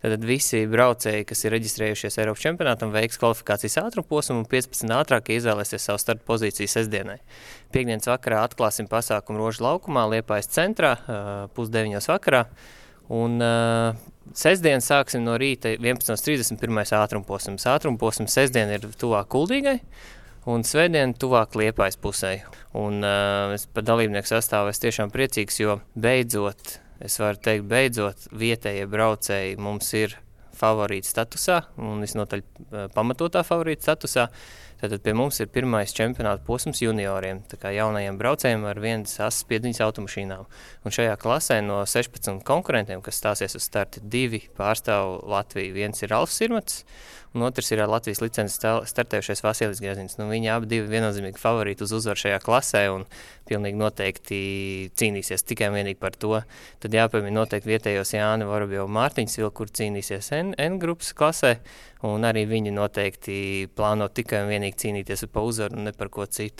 Tad visi braucēji, kas ir reģistrējušies Eiropas čempionātam, veiks kvalifikācijas ātrumposmu un 15 ātrākie izvēlēsies savu starta pozīciju sestdienai. Piektdienas vakarā atklāsim pasākumu Rožu laukumā, Liepājas centrā, 8:30 vakarā. Un sestdien sāksim no rīta 11:30 pirmais ātrumposms. Ātrumposms sestdien ir tuvāk Kuldīgai un svētdien tuvāk Liepājas pusē. Un es par dalībnieku sastāvu es tiešām priecīgs, jo beidzot, es varu teikt, vietējie braucēji mums ir favorīta statusā un visnotaļ pamatotā favorīta statusā. Tātad pie mums ir pirmais čempionāta posms junioriem, tā kā jaunajiem braucējiem ar vienas asas piedziņas automašīnām. Un šajā klasē no 16 konkurentiem, kas stāsies uz starti, 2 pārstāv Latviju. Viens ir Alfs Sirmats, un otrs ir ar Latvijas licences startējušais Vasilis Grezins. Viņi abi viennozīmīgi favorīti uz uzvaru šajā klasē un pilnīgi noteikti cīnīsies tikai un vienīgi par to. Tad jāpiemina noteikti vietējos Jāni Vorobjovu Mārtiņu, kur cīnīsies N grupas klasē, un arī viņi noteikti plāno tikai un vienīgi cīnīties par uzvaru un ne par ko citu.